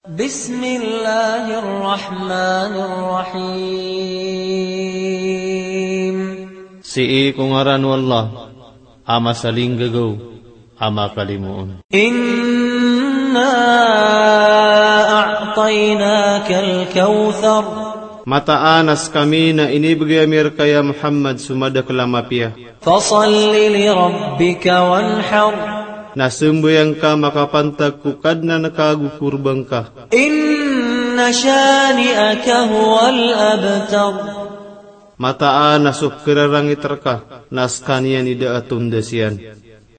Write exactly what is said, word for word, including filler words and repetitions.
بسم الله الرحمن الرحيم. Sii ko ngaran o Allah a masalinggagaw a makalimoon. إنا أعطيناك الكوثر. Mataan a skami na inibgay ami rka ya Muhammad so madakl a mapiya. فصل لربك وانحر. Na sambayang ka makapantag ko Kadnan ka ago korban ka. إن شانئك هو الأبتر. Mataan a so khararangit rka na skaniyan i da a tondas iyan.